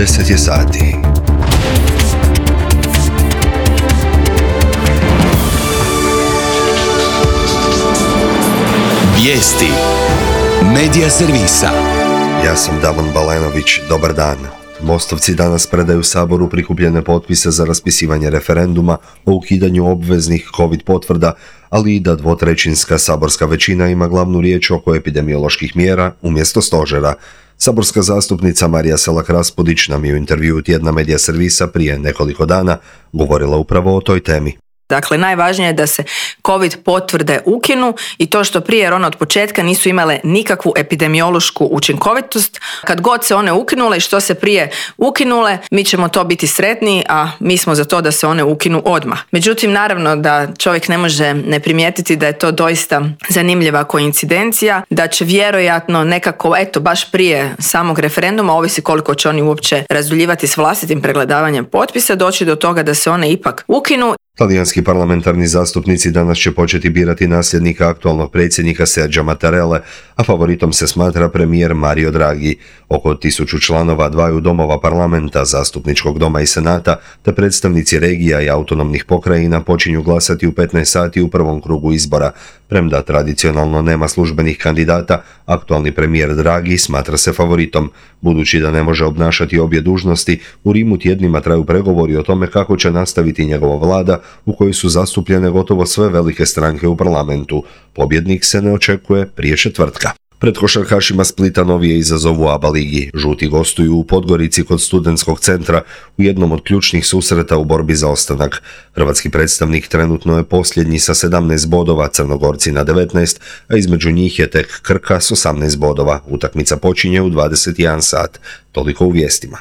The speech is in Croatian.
10 je sati. Vijesti Medija servisa. Ja sam Damon Balenović, dobar dan. Mostovci danas predaju Saboru prikupljene potpise za raspisivanje referenduma o ukidanju obveznih COVID potvrda, ali i da dvotrećinska saborska većina ima glavnu riječ oko epidemioloških mjera umjesto stožera. Saborska zastupnica Marija Selak-Raspudić nam je u intervjuu tjedna Medija servisa prije nekoliko dana govorila upravo o toj temi. Dakle, najvažnije je da se COVID potvrde ukinu i to što prije, jer one od početka nisu imale nikakvu epidemiološku učinkovitost. Kad god se one ukinule i što se prije ukinule, mi ćemo to biti sretni, a mi smo za to da se one ukinu odmah. Međutim, naravno da čovjek ne može ne primijetiti da je to doista zanimljiva koincidencija, da će vjerojatno nekako, baš prije samog referenduma, ovisi koliko će oni uopće razduljivati s vlastitim pregledavanjem potpisa, doći do toga da se one ipak ukinu. Talijanski parlamentarni zastupnici danas će početi birati nasljednika aktualnog predsjednika Sergia Mattarelle, a favoritom se smatra premijer Mario Draghi. Oko 1000 članova dvaju domova parlamenta, zastupničkog doma i senata, te predstavnici regija i autonomnih pokrajina počinju glasati u 15 sati u prvom krugu izbora. Premda tradicionalno nema službenih kandidata, aktualni premijer Draghi smatra se favoritom. Budući da ne može obnašati obje dužnosti, u Rimu tjednima traju pregovori o tome kako će nastaviti njegova vlada, u kojoj su zastupljene gotovo sve velike stranke u parlamentu. Pobjednik se ne očekuje prije četvrtka. Pred košarkašima Splita novi je izazov u ABA ligi. Žuti gostuju u Podgorici kod studentskog centra u jednom od ključnih susreta u borbi za ostanak. Hrvatski predstavnik trenutno je posljednji sa 17 bodova, Crnogorci na 19, a između njih je tek Krka s 18 bodova. Utakmica počinje u 21 sat. Toliko u vijestima.